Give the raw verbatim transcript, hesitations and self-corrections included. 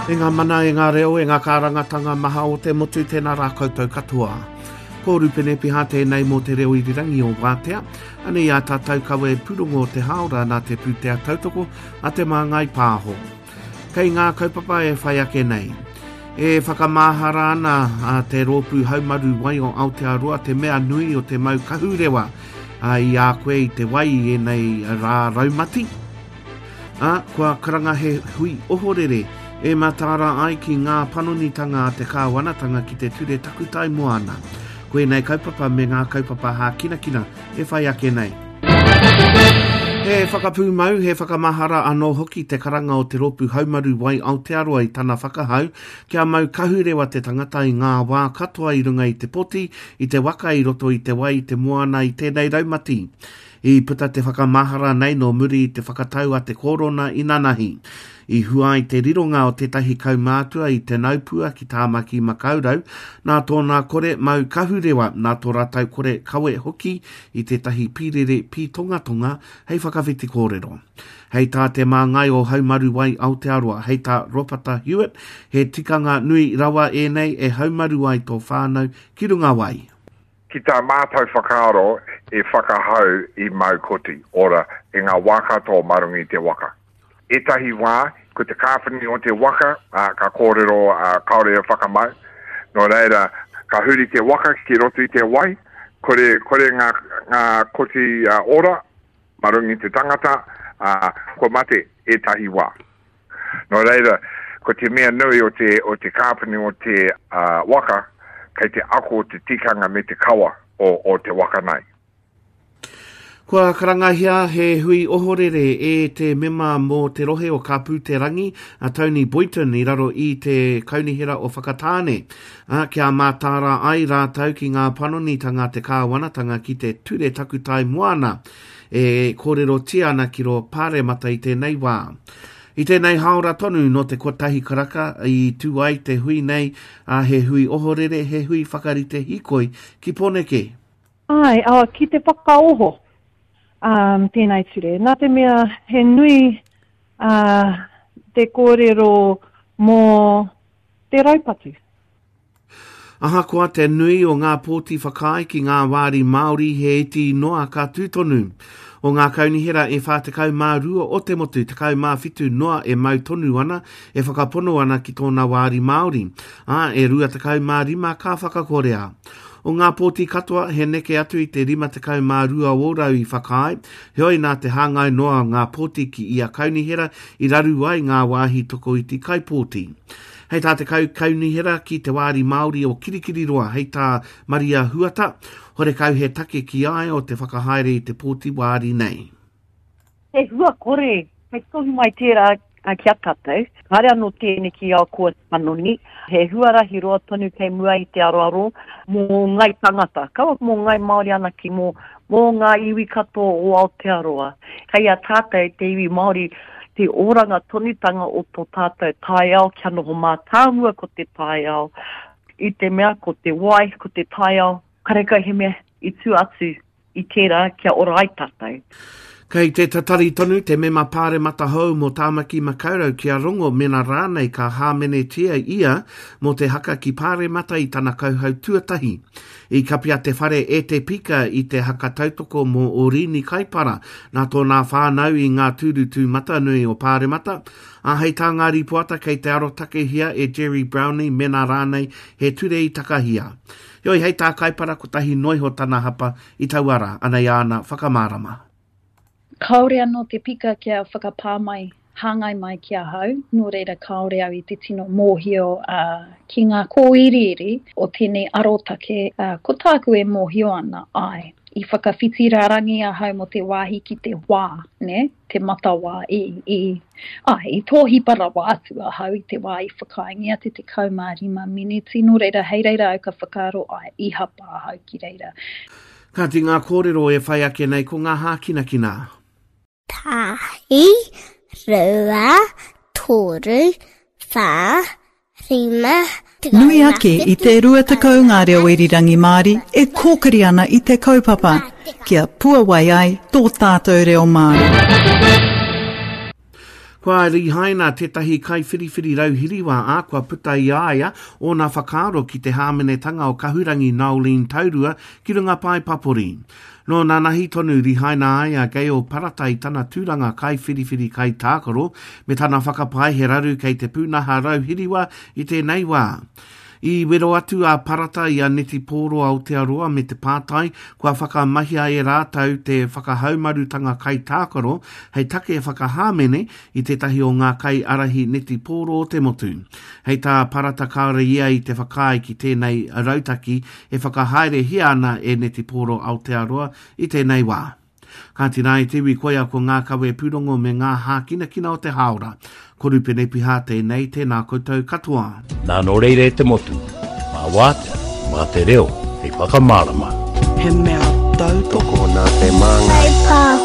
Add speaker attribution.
Speaker 1: E ngā mana, e ngā reo, e ngā kārangatanga maha o te motu, tēnā rā koutou katoa. Ko Rupene Piha tēnei mō te reo irirangi o Wātea. Anei ā tātou kawe pūrongo o te hāora nā te pūtea tautoko a Te Māngai Pāho. Kei ngā kaupapa e whai ake nei. E whakamahara ana a te rōpū haumaru wai o Aotearoa te mea nui o te mau kahurewa i a koe i te wai i ēnei rā raumati. Ā, kua karanga he hui ohorere e mataara ai ki ngā panonitanga a te kāwanatanga ki te ture takutai moana. Ko ēnei kaupapa me ngā kaupapa hākinakina e whai ake nei. He whakapūmau, he whakamahara anō hoki te karanga o te rōpū haumaru wai Aotearoa i tana whakahau kia mau kahurewa te tangata i ngā wā katoa i runga i te poti, i te waka i roto i te wai, i te moana, i tēnei raumati. I puta te whakamahara nei nō muri i te whakatau a te korona inanahi. I hua ai te rironga o tētahi kaumātua i Te Naupua ki Tāmaki Makaurau, nā tōna kore mau kahurewa, nā tō rātou kore kawe hoki i tētahi pīrere pītongatonga hei whakawhiti kōrero. Hei tā te māngai o Haumaru Wai Aotearoa, hei tā Ropata Hewitt, he tikanga nui rawa ēnei e haumaru ai tō whānau ki runga wai.
Speaker 2: Ki tā mātou whakaaro e whakahau i mau koti ora i ngā wā katoa mā runga i te waka. Ētahi wā, ko te kāwhani o te waka, ā, ka kōrero, ā, kāore e whakamau. Nō reira, ka huri te waka ki roto i te wai, kore, kore ngā, ngā koti ora mā runga i te tangata, ā, kua mate ētahi wā. Nō reira, ko te mea nui o te, o te kāpene o te uh, waka, kei te ako te tikanga me te kawa o, o te waka nei.
Speaker 1: Kua karangahia he hui ohorere e te mema mō te rohe o Kāpūterangi, a Tony Boynton i raro i te kaunihera o Whakatāne, a, kia mātāra ai rātou ki ngā panonitanga te kāwanatanga ki te ture takutai moana e kōrerotia ana ki rō Pāremata i tēnei wā. I tēnei hāora tonu nō te kotahi karaka i tū ai te hui nei, a he hui ohorere, he hui whakarite hīkoi ki Pōneke.
Speaker 3: Ai, oh, ki te whakaoho um, tēnei ture. Nā te mea he nui uh, te kōrero mō te raupatu.
Speaker 1: Ahakoa te nui o ngā pōti whakaae ki ngā wāri Māori he iti noa ka tū tonu. O ngā kaunihera e whā tekau mā rua o te motu, tekau mā whitu noa e mau tonu ana, e whakapono ana ki tōna wāri Māori, ā, e rua tekau mā rima ka whakakorea. O ngā pōti katoa, he neke atu i te rima tekau mā rua ōrau i whakaae, heoi nā te hāngai noa o ngā pōti ki ia kaunihera i raru ai ngā wāhi tokoiti kaipōti. Hei tā te kau kaunihera ki te wāri Māori o Kirikiriroa, hei tā Maria Huata, horekau he take ki ai o te whakahaere i te pōti wāri nei.
Speaker 4: He hua kore, hei tohu mai tērā ki a tātou. Kāre anō tēneki ao kua panoni, he huarahi roa tonu kei mua i te aroaro mō ngai tangata. Kaua mō ngai Māori anake, mō, mō ngā iwi katoa o Aotearoa. Kei a tātou te iwi Māori te oranga tonutanga o tō tātou taiao kia noho mātāmua ko te taiao, i te mea ko te wai, ko te taiao, karekau he mea i tū atu i tērā kia ora ai tātou.
Speaker 1: Kei te tatari tonu te mema pāremata hou mō Tāmaki Makaurau kia rongo mena rānei ka hāmenetia ia mō te haka ki pāremata i tana kauhau tuatahi. I kapia te whare e te pika i te haka tautoko mō Orini Kaipara nā tōna whānau i ngā tūru tūmatanui o pāremata, ā hei tā ngā rīpoata kei te arotakehia e Gerry Brownlee mena rānei he ture i takahia. Heoi hei tā Kaipara kotahi noiho tana hapa i taua rā, anei āna whakamārama.
Speaker 5: Kāore anō te pika kia whakapā mai, hāngai mai ki ahau, nō reira kāore au i te tino mōhio uh, ki ngā kōiriiri o tēnei arotake. Uh, ko tāku e mōhio ana, ai, i whakawhiti rārangi ahau mō te wāhi ki te wā, ne? Te matawā i, i, ai, i tōhipa rawa atu ahau i te wā i whakaaengia te tekau mā rima miniti, nō reira hei reira au ka whakaaro ai, i hapa ahau ki reira.
Speaker 1: Kāti ngā kōrero e whai ake nei ko ngā hākinakina.
Speaker 6: Tahi, rua, toru, whā, rima,
Speaker 7: Nui ake i te rua tekau ngā reo irirangi Māori e kōkiri ana i te kaupapa, kia puawai ai tō tātou reo Māori.
Speaker 1: Kua Kua rihaina tētahi kaiwhiriwhiri rauhiriwa ā kua puta i a ia ōna whakaaro ki te hāmenetanga o Kahurangi Noeline Taurua ki runga pae papori. Nō nanahi tonu rihaina ai a Gail Parata i tana tūranga kaiwhiriwhiri kaitākaro me tana whakapae he raru kei te pūnaha rauhiriwa i tēnei wā. I wero atu a Parata i a Netipōro Aotearoa me te pātai kua whakamahia e rātou te whakahaumarutanga kaitākaro hei take whakahāmene i tētahi o ngā kaiārahi netipōro o te motu. Hei tā Parata kāore ia i te whakaae ki tēnei rautaki e whakahaerehia ana e Netipōro Aotearoa i tēnei wā. Kāti rā e te iwi koia ko ngā kawe pūrongo me ngā hākinakina o te hāora. Ko Rupene Piha tēnei, tēnā koutou katoa.
Speaker 8: Nā nō reira e te motu, mā wātea, mā te reo, hei whakamārama.
Speaker 9: He mea tautoko
Speaker 10: nā te māngai.
Speaker 6: Pāho.